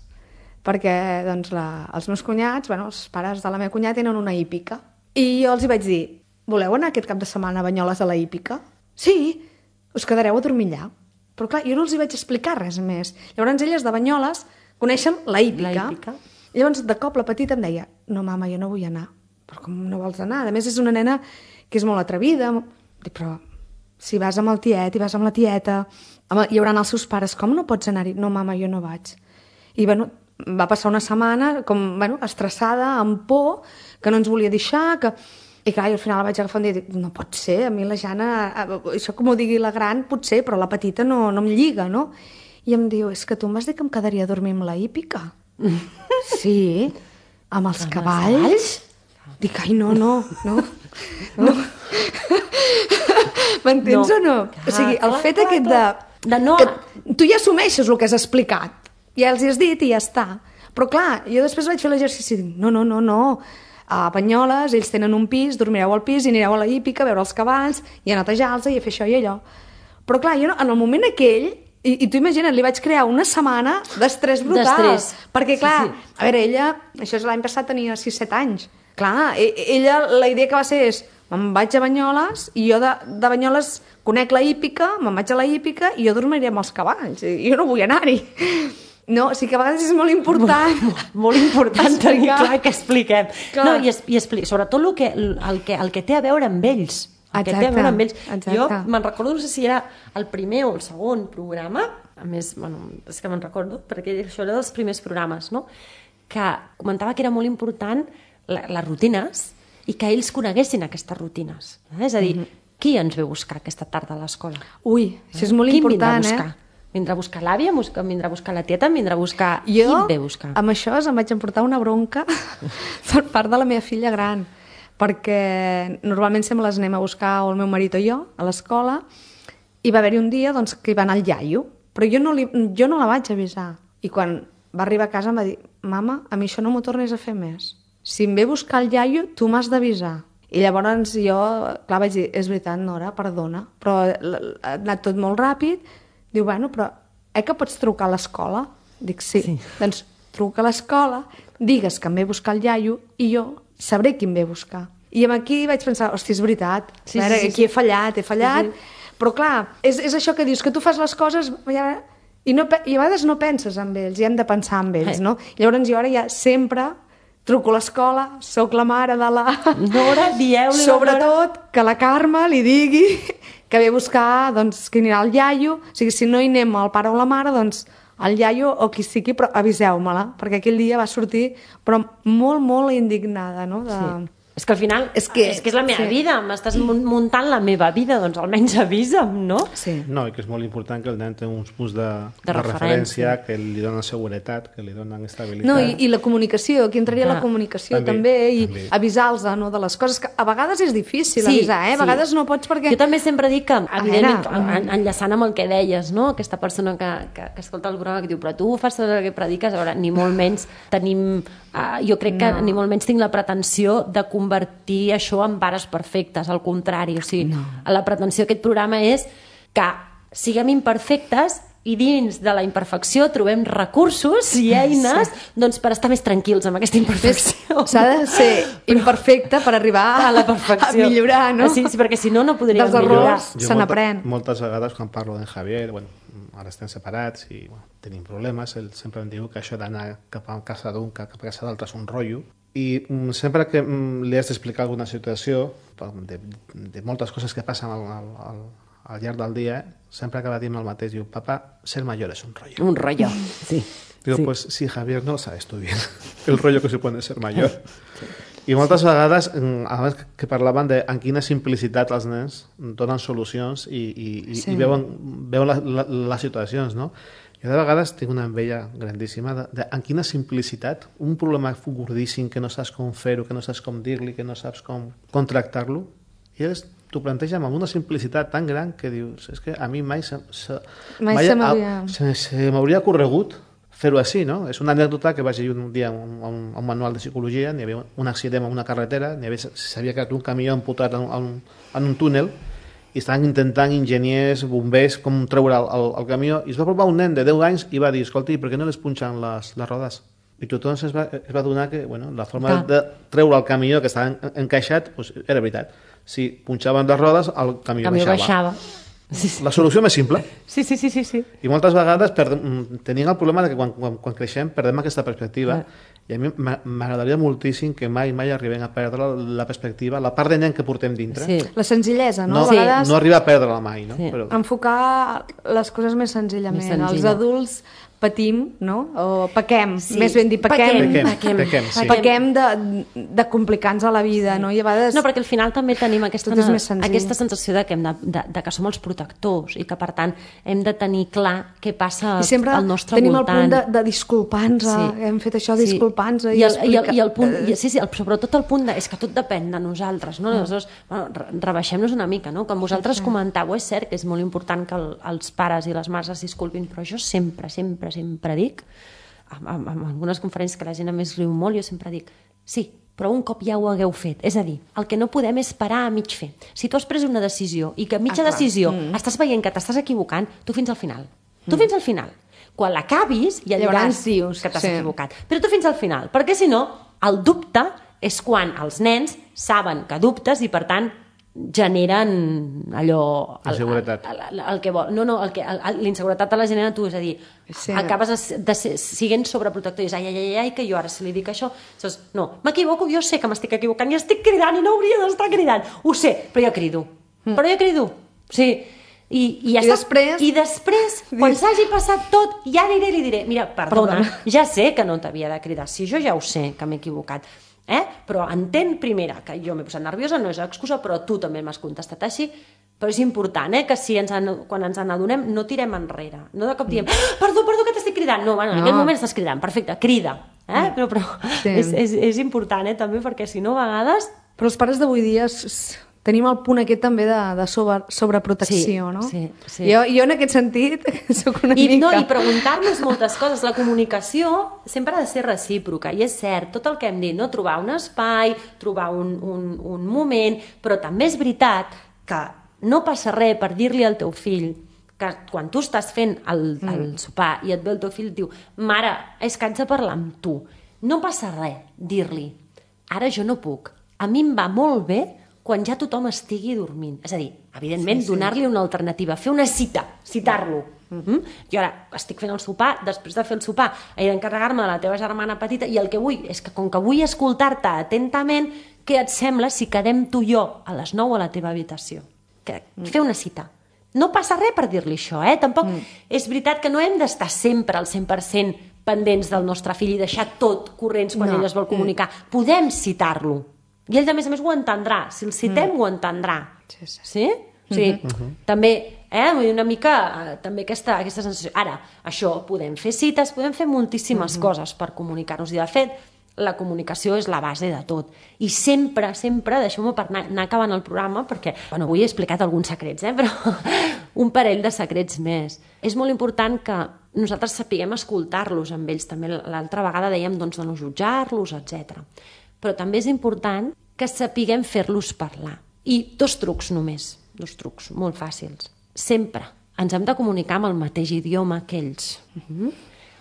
perquè doncs, els meus cunyats, els pares de la meva cunyada tenen una hípica. I jo els hi vaig dir: voleu anar aquest cap de setmana a Banyoles a la hípica? Sí, us quedareu a dormir allà. Però clar, jo no els hi vaig explicar res més. Llavors elles de Banyoles coneixen la hípica. Llavors de cop la petita em deia: no mama, jo no vull anar. Però com no vols anar? A més és una nena que és molt atrevida. Dic: però si vas amb el tiet i vas amb la tieta, hi haurà els seus pares, com no pots anar-hi? No mama, jo no vaig. I va passar una setmana com, estressada, amb por, que no ens volia deixar, i clar, al final la vaig agafar un dia i dic: no pot ser, a mi la Jana, això com ho digui la gran, potser, però la petita no em lliga, no? I em diu: és que tu em vas dir que em quedaria a dormir amb la hípica. Sí, amb els cavalls? Dic: ai, no. M'entens o no? O sigui, el fet aquest de no... que tu ja assumeixes el que has explicat. Ja els hi has dit i ja està. Però clar, jo després vaig fer l'exercici i dic: no. A Banyoles ells tenen un pis, dormireu al pis i anireu a la hípica a veure els cavalls i a netejar-los i a fer això i allò. Però clar, jo en el moment aquell, i tu imagina't, li vaig crear una setmana d'estrès brutal. Perquè clar, a veure, ella, això és l'any passat, tenia 6-7 anys. Clar, ella, la idea que va ser és: me'n vaig a Banyoles i jo de Banyoles conec la hípica, me'n vaig a la hípica i jo dormiré amb els cavalls. I jo no vull anar-hi. No, o sigui que a vegades és molt important. Molt important tenir clar que expliquem. No, i sobretot el que té a veure amb ells. Exacte. Jo me'n recordo, no sé si era el primer o el segon programa, a més, és que me'n recordo, perquè això era dels primers programes, no? Que comentava que era molt important les rutines i que ells coneguessin aquestes rutines. És a dir, qui ens ve a buscar aquesta tarda a l'escola? Ui, això és molt important, Vindrà a buscar l'àvia, vindrà a buscar la tieta, vindrà a buscar... Qui et ve a buscar? Amb això em vaig emportar una bronca per part de la meva filla gran, perquè normalment sempre les anem a buscar, o el meu marit o jo, a l'escola, i va haver-hi un dia que hi va anar el iaio, però jo no la vaig avisar. I quan va arribar a casa em va dir: mama, a mi això no m'ho tornis a fer més. Si em ve a buscar el iaio, tu m'has d'avisar. I llavors jo, clar, vaig dir: és veritat, Nora, perdona, però ha anat tot molt ràpid. Diu: bueno, però que pots trucar a l'escola? Dic: sí. Doncs truca a l'escola, digues que em ve a buscar el iaio i jo sabré qui em ve a buscar. I aquí vaig pensar: hosti, és veritat, aquí he fallat, però clar, és això que dius, que tu fas les coses I a vegades no penses en ells, i hem de pensar en ells, no? Llavors jo ara ja sempre truco a l'escola, sóc la mare de la... Nora, dieu-li la Nora. Sobretot que la Carme li digui que ve a buscar, doncs, que anirà el iaio. O sigui, si no hi anem el pare o la mare, doncs el iaio o qui sigui, però aviseu-me-la, perquè aquell dia va sortir però molt, molt indignada, no? Sí. És que al final és la meva vida, m'estàs muntant la meva vida, doncs almenys avisa'm, no? Sí. No, i que és molt important que el nen té uns punts de referència que li donen seguretat, que li donen estabilitat. No, i la comunicació, aquí entraria la comunicació també, i avisar-los de les coses, que a vegades és difícil avisar, a vegades no pots perquè... Jo també sempre dic que, evidentment, enllaçant amb el que deies, no? Aquesta persona que escolta el programa que diu, però tu fas tot el que prediques, a veure, ni molt menys tenim... jo crec que ni molt menys tinc la pretensió de convertir això en pares perfectes, al contrari, o sigui, la pretensió d'aquest programa és que siguem imperfectes i dins de la imperfecció trobem recursos i eines doncs, per estar més tranquils amb aquesta imperfecció. S'ha de ser imperfecte per arribar a la perfecció, a millorar, no? Sí, perquè si no, no podríem millorar. Se n'aprèn. Moltes vegades quan parlo d'en Javier, ara estem separats i tenim problemes, ell sempre em diu que això d'anar cap a casa d'un, cap a casa d'altre és un rotllo, i sempre que li has d'explicar alguna situació de moltes coses que passen al llarg del dia, sempre acaba dient el mateix, diu, papá, ser mayor es un rollo. Un rollo, sí. Digo, pues sí, Javier, no lo sabes tú bien, el rollo que supone ser mayor. I moltes vegades, abans que parlaven de en quina simplicitat els nens donen solucions i veuen les situacions, no? Jo de vegades tinc una enveja grandíssima de en quina simplicitat un problema gordíssim que no saps com fer-ho, que no saps com dir-li, que no saps com tractar-lo, i ells t'ho plantegen amb una simplicitat tan gran que dius, és que a mi mai se m'hauria corregut fer-ho així, no? És una anècdota que vaig llegir un dia a un manual de psicologia, n'hi havia un accident en una carretera, s'havia quedat un camió amputat en un túnel i estaven intentant enginyers, bombers, com treure el camió, i es va apropar un nen de 10 anys i va dir, escolti, per què no les punxen les rodes? I tothom es va adonar que la forma de treure el camió que estava encaixat era veritat. Si punxaven les rodes, el camió baixava. La solució més simple. Sí. I moltes vegades tenim el problema que quan creixem perdem aquesta perspectiva. I a mi m'agradaria moltíssim que mai arribem a perdre la perspectiva, la part de nen que portem dintre. Sí. La senzillesa, no? No arribar a perdre-la mai, no? Sí. Però... Enfocar les coses més senzillament. Els adults patim, no? O pequem, més ben dir, pequem de complicar-nos a la vida, no? I a vegades... No, perquè al final també tenim aquesta sensació de que som els protectors i que, per tant, hem de tenir clar què passa al nostre voltant. I sempre tenim el punt de disculpar-nos, hem fet això, disculpar-nos i el punt, sobretot el punt és que tot depèn de nosaltres, no? Aleshores, rebaixem-nos una mica, no? Com vosaltres comentàveu, és cert que és molt important que els pares i les mares es disculpin, però jo sempre dic, en algunes conferències que la gent a més riu molt, jo sempre dic, sí, però un cop ja ho hagueu fet. És a dir, el que no podem és parar a mig fer. Si tu has pres una decisió i que a mitja decisió estàs veient que t'estàs equivocant, tu fins al final. Tu fins al final. Quan l'acabis ja diràs que t'has equivocat. Però tu fins al final, perquè si no, el dubte és quan els nens saben que dubtes i per tant generen allò... Inseguretat. El que vol. No, l'inseguretat te la genera tu, és a dir, acabes siguent sobreprotector i dius, ai, que jo ara si li dic això... No, m'equivoco, jo sé que m'estic equivocant i estic cridant i no hauria d'estar cridant. Ho sé, però jo crido. Sí, i després, quan s'hagi passat tot, ja aniré i li diré, mira, perdona, ja sé que no t'havia de cridar, si jo ja ho sé que m'he equivocat, però entén primera que jo m'he posat nerviosa, no és excusa, però tu també m'has contestat així, però és important que si quan ens n'adonem no tirem enrere, no de cop diem perdó que t'estic cridant, no, en aquest moment estàs cridant, perfecte, crida, però és important també, perquè si no a vegades... Però els pares d'avui dia tenim el punt aquest també de sobreprotecció, no? Sí. Jo en aquest sentit soc una mica... No, i preguntar-nos moltes coses. La comunicació sempre ha de ser recíproca, i és cert, tot el que hem dit, no? Trobar un espai, trobar un moment, però també és veritat que no passa res per dir-li al teu fill que quan tu estàs fent el sopar i et ve el teu fill i et diu, mare, és que haig de parlar amb tu. No passa res dir-li, ara jo no puc. A mi em va molt bé quan ja tothom estigui dormint. És a dir, evidentment, donar-li una alternativa, fer una cita, citar-lo. Jo ara estic fent el sopar, després de fer el sopar he d'encarregar-me de la teva germana petita i el que vull és que, com que vull escoltar-te atentament, què et sembla si quedem tu i jo a les 9 a la teva habitació? Fer una cita. No passa res per dir-li això, Tampoc és veritat que no hem d'estar sempre al 100% pendents del nostre fill i deixar tot corrents quan ell es vol comunicar. Podem citar-lo. I ell, a més, ho entendrà. Si el citem, ho entendrà. Sí? Sí. També, una mica, també aquesta sensació. Ara, això, podem fer cites, podem fer moltíssimes coses per comunicar-nos. I, de fet, la comunicació és la base de tot. I sempre, deixeu-me per anar acabant el programa, perquè, avui he explicat alguns secrets, però un parell de secrets més. És molt important que nosaltres sapiguem escoltar-los amb ells. També l'altra vegada dèiem de no jutjar-los, etc. Però també és important que sapiguem fer-los parlar. I 2 trucs només, 2 trucs molt fàcils. Sempre ens hem de comunicar amb el mateix idioma que ells,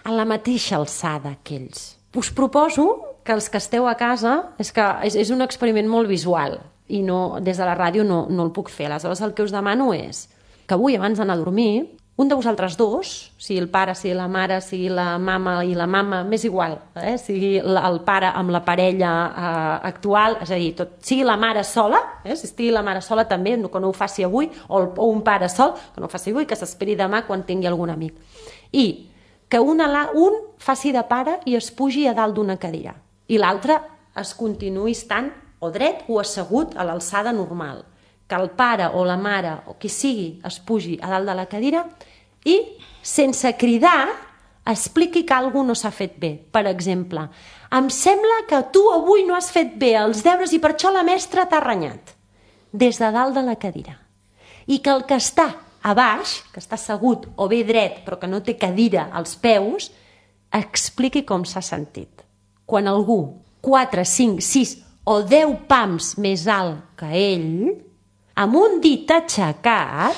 a la mateixa alçada que ells. Us proposo que els que esteu a casa, és un experiment molt visual i des de la ràdio no el puc fer. Aleshores, el que us demano és que avui, abans d'anar a dormir, un de vosaltres dos, sigui el pare, sigui la mare, sigui la mama i la mama, m'és igual, sigui el pare amb la parella actual, és a dir, sigui la mare sola, si estigui la mare sola també, que no ho faci avui, o un pare sol, que no ho faci avui, que s'esperi demà quan tingui algun amic. I que un faci de pare i es pugi a dalt d'una cadira i l'altre es continuï estant o dret o assegut a l'alçada normal. Que el pare o la mare o qui sigui es pugi a dalt de la cadira i, sense cridar, expliqui que alguna cosa no s'ha fet bé. Per exemple, em sembla que tu avui no has fet bé els deures i per això la mestra t'ha renyat. Des de dalt de la cadira. I que el que està a baix, que està assegut o bé dret però que no té cadira als peus, expliqui com s'ha sentit. Quan algú, 4, 5, 6 o 10 pams més alt que ell, amb un dit aixecat,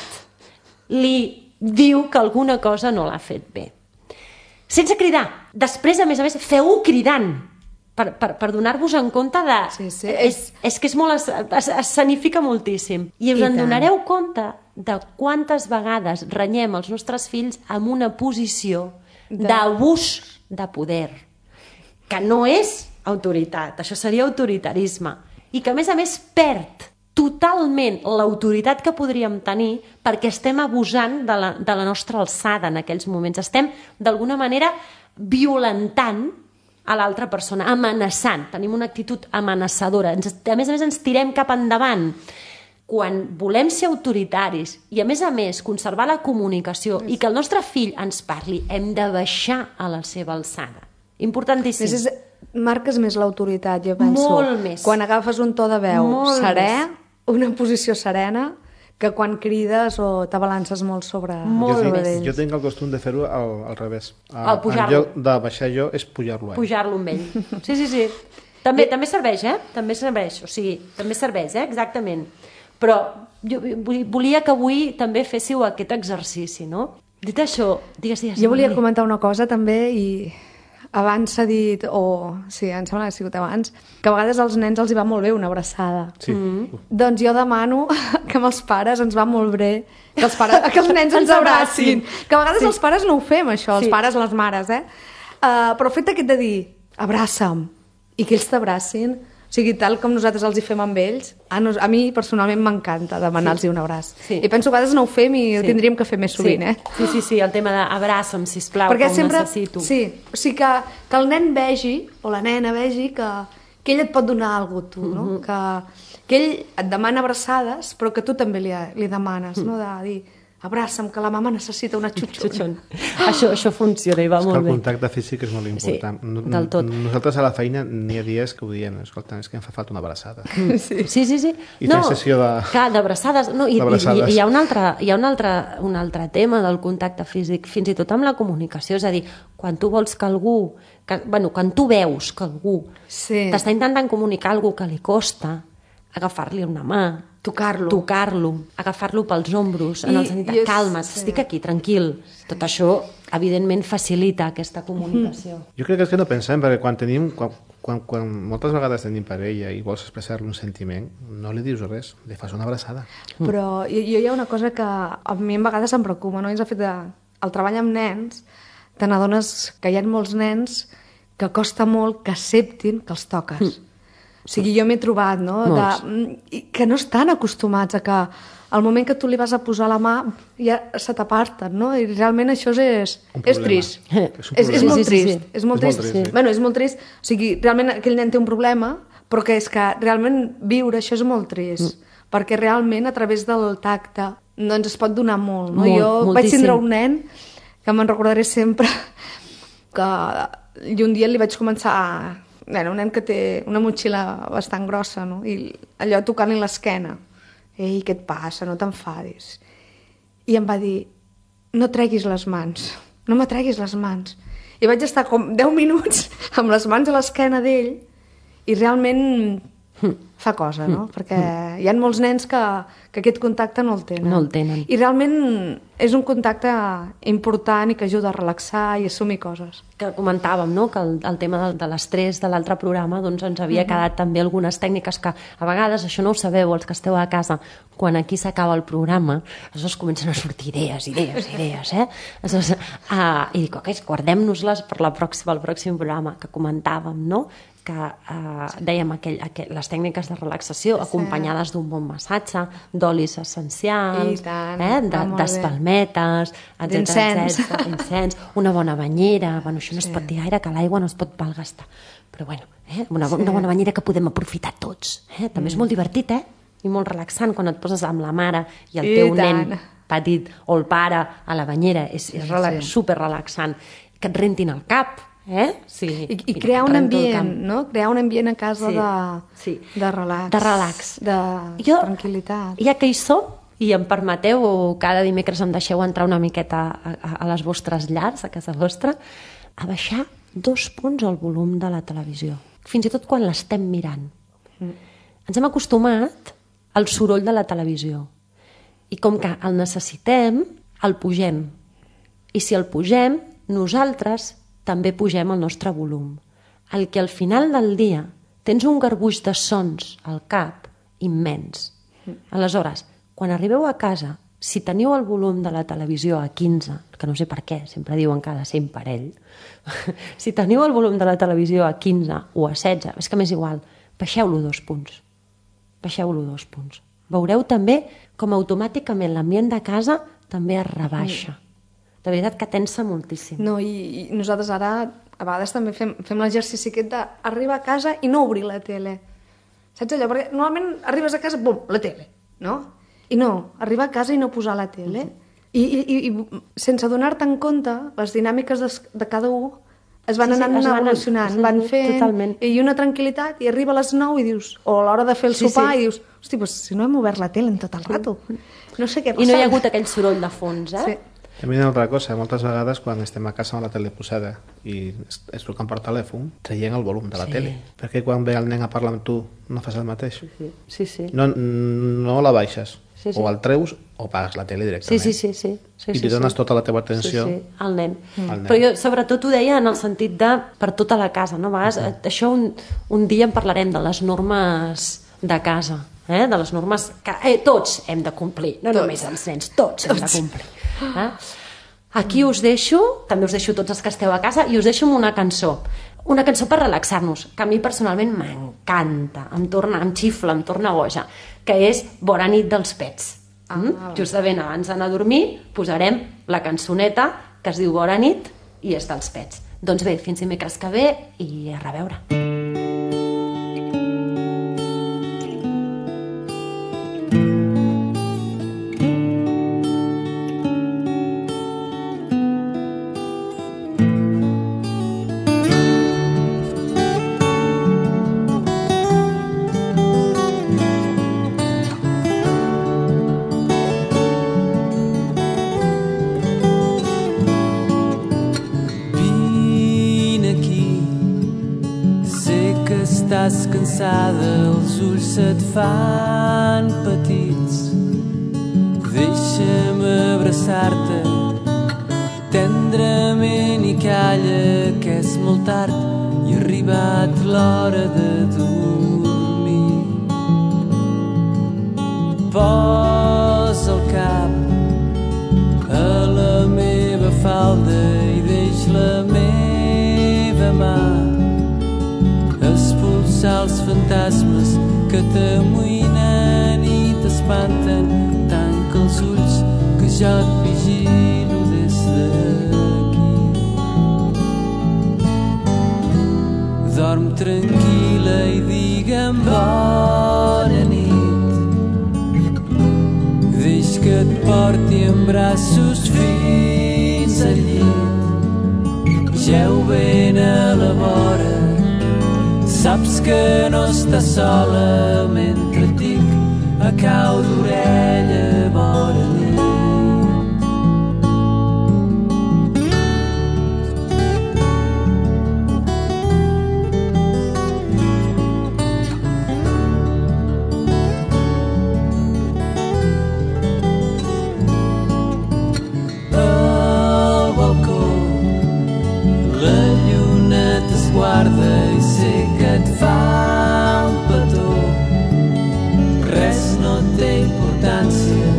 li diu que alguna cosa no l'ha fet bé. Sense cridar. Després, a més, feu-ho cridant, per donar-vos en compte de... Sí. És que és molt... escenifica moltíssim. I us en donareu compte de quantes vegades renyem els nostres fills amb una posició d'abús de poder, que no és autoritat, això seria autoritarisme, i que, a més, perd totalment l'autoritat que podríem tenir perquè estem abusant de la nostra alçada en aquells moments. Estem, d'alguna manera, violentant a l'altra persona, amenaçant. Tenim una actitud amenaçadora. A més, ens tirem cap endavant. Quan volem ser autoritaris i, a més, conservar la comunicació i que el nostre fill ens parli, hem de baixar a la seva alçada. Importantíssim. Marques més l'autoritat, jo penso. Molt més. Quan agafes un to de veu serè, una posició serena, que quan crides o t'abalances molt sobre d'ells. Jo tinc el costum de fer-ho al revés. Al pujar-lo. En lloc de baixar jo, és pujar-lo. Pujar-lo amb ell. Sí. També serveix, També serveix, o sigui, també serveix, exactament. Però jo volia que avui també féssiu aquest exercici, no? Dit això, digues. Jo volia comentar una cosa també i... Abans s'ha dit, sí, em sembla que ha sigut abans, que a vegades als nens els hi va molt bé una abraçada. Sí. Doncs jo demano que amb els pares ens va molt bé que els nens ens abracin. Que a vegades els pares no ho fem, això, els pares, les mares, però el fet aquest de dir, abraça'm, i que ells t'abracin, o sigui, tal com nosaltres els hi fem amb ells, a mi personalment m'encanta demanar-los un abraç. Sí. I penso que a vegades no ho fem i ho tindríem que fer més sovint, Sí, el tema d'abraça'm, sisplau, perquè que ho necessito. Sí, o sigui que el nen vegi, o la nena vegi, que ell et pot donar alguna cosa, tu, no? Que ell et demana abraçades, però que tu també li demanes, no? De dir, abraça'm, que la mama necessita una xutxon. Això funciona i va molt bé. El contacte físic és molt important. Sí, del tot. Nosaltres a la feina n'hi ha dies que ho diem, escolta, és que em fa falta una abraçada. Sí. I fem sessió d'abraçades. Hi ha un altre tema del contacte físic, fins i tot amb la comunicació, és a dir, quan tu vols que algú, quan tu veus que algú t'està intentant comunicar alguna cosa que li costa, agafar-li una mà, tocar-lo, agafar-lo pels ombros, en el sentit de calma't, estic aquí, tranquil. Tot això, evidentment, facilita aquesta comunicació. Jo crec que és que no pensem, perquè quan moltes vegades tenim parella i vols expressar-li un sentiment, no li dius res, li fas una abraçada. Però jo hi ha una cosa que a mi a vegades em preocupa, no? És el fet el treball amb nens, te n'adones que hi ha molts nens que costa molt que acceptin que els toques. O sigui, jo m'he trobat, no?, que no estan acostumats a que al moment que tu li vas a posar la mà ja se t'aparten, no? I realment això és trist. És molt trist. És molt trist. Bueno, és molt trist. O sigui, realment aquell nen té un problema, però que és que realment viure això és molt trist. Perquè realment a través del tacte doncs es pot donar molt, no? Jo vaig tindre un nen que me'n recordaré sempre que un dia li vaig començar un nen que té una motxilla bastant grossa, no? I allò tocant-li l'esquena. Ei, què et passa? No t'enfadis. I em va dir, no treguis les mans, no me treguis les mans. I vaig estar com 10 minuts amb les mans a l'esquena d'ell i realment fa cosa, no? Perquè hi ha molts nens que aquest contacte no el tenen. No el tenen. I realment és un contacte important i que ajuda a relaxar i assumir coses. Que comentàvem, no?, que el tema de l'estrès de l'altre programa doncs ens havia quedat també algunes tècniques que a vegades, això no ho sabeu, els que esteu a casa, quan aquí s'acaba el programa, aleshores comencen a sortir idees, Aleshores, i dic, ok, guardem-nos-les per el pròxim programa que comentàvem, no?, que dèiem les tècniques de relaxació acompanyades d'un bon massatge, d'olis essencials, d'espalmetes, d'incens, una bona banyera. Bueno, això no es pot dir gaire, que l'aigua no es pot malgastar. Però bueno, una bona banyera que podem aprofitar tots. També és molt divertit, i molt relaxant quan et poses amb la mare i el teu nen petit o el pare a la banyera. És super relaxant. Que et rentin el cap, I crear un ambient, no? Crear un ambient a casa de relax. De relax. De tranquil·litat. Ja que hi som, i em permeteu, o cada dimecres em deixeu entrar una miqueta a les vostres llars, a casa vostra, a baixar 2 punts el volum de la televisió. Fins i tot quan l'estem mirant. Ens hem acostumat al soroll de la televisió. I com que el necessitem, el pugem. I si el pugem, nosaltres també pugem el nostre volum. El que al final del dia tens un garbuix de sons al cap immens. Aleshores, quan arribeu a casa, si teniu el volum de la televisió a 15, que no sé per què, sempre diuen que ha de ser en parell, si teniu el volum de la televisió a 15 o a 16, és que m'és igual, baixeu-lo 2 punts. Baixeu-lo 2 punts. Veureu també com automàticament l'ambient de casa també es rebaixa. De veritat que tensa moltíssim. No, i nosaltres ara a vegades també fem l'exercici aquest d'arribar a casa i no obrir la tele. Saps allò? Perquè normalment arribes a casa, bum, la tele, no? I no, arribar a casa i no posar la tele. I sense donar-te en compte, les dinàmiques de cada un es van anant evolucionant, van fent, totalment. I una tranquil·litat, i arriba a les 9 i dius, o a l'hora de fer el sopar, i dius, hosti, doncs si no hem obert la tele en tot el rato. No sé què passa. I no hi ha hagut aquell soroll de fons, Sí. També hi ha una altra cosa, moltes vegades quan estem a casa amb la tele posada i es truquen per telèfon, traient el volum de la tele. Perquè quan ve el nen a parlar amb tu no fas el mateix. Sí. No la baixes. O el treus o pagues la tele directament. Sí. I li dones tota la teva atenció al nen. Però jo sobretot ho deia en el sentit de per tota la casa, no? A vegades, això un dia en parlarem de les normes de casa, de les normes que tots hem de complir, no només els nens, tots hem de complir. Aquí us deixo, també us deixo tots els que esteu a casa, i us deixo amb una cançó per relaxar-nos, que a mi personalment m'encanta, em xifla, em torna boja, que és Bona nit dels Pets. Justament abans d'anar a dormir posarem la cançoneta que es diu Bona nit i és dels Pets. Doncs bé, fins dimecres que ve i a reveure. cansada, els ulls se't fan petits. Deixa'm abraçar-te tendrament i calla, que és molt tard i ha arribat l'hora de dormir. Posa el cap a la meva falda i deix la meva mà expulsar els fantasmes que t'amoïnen i t'espanten. Tanca els ulls que jo et vigilo des d'aquí. Dorm tranquil·la i digue'm bona nit. Deix que et porti en braços fins al llit. Jeu ben a la vora, saps que no estàs sola mentre et dic a cau d'orella bona nit. Al balcó la lluna t'esguarda i sé que et fa un petó. Res no té importància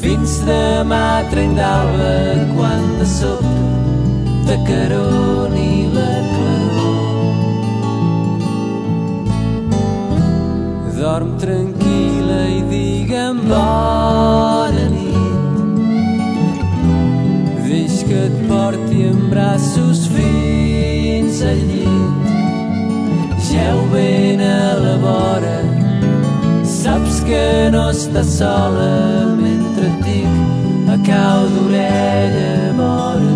fins demà trenc d'alba, quan de sobte t'acaroni la claror. Dorm tranquil·la i digue'm bona nit. Deix que et porti en braços fins al llit. Jeu ben a la vora, saps que no estàs sola mentre et dic a cau d'orella bona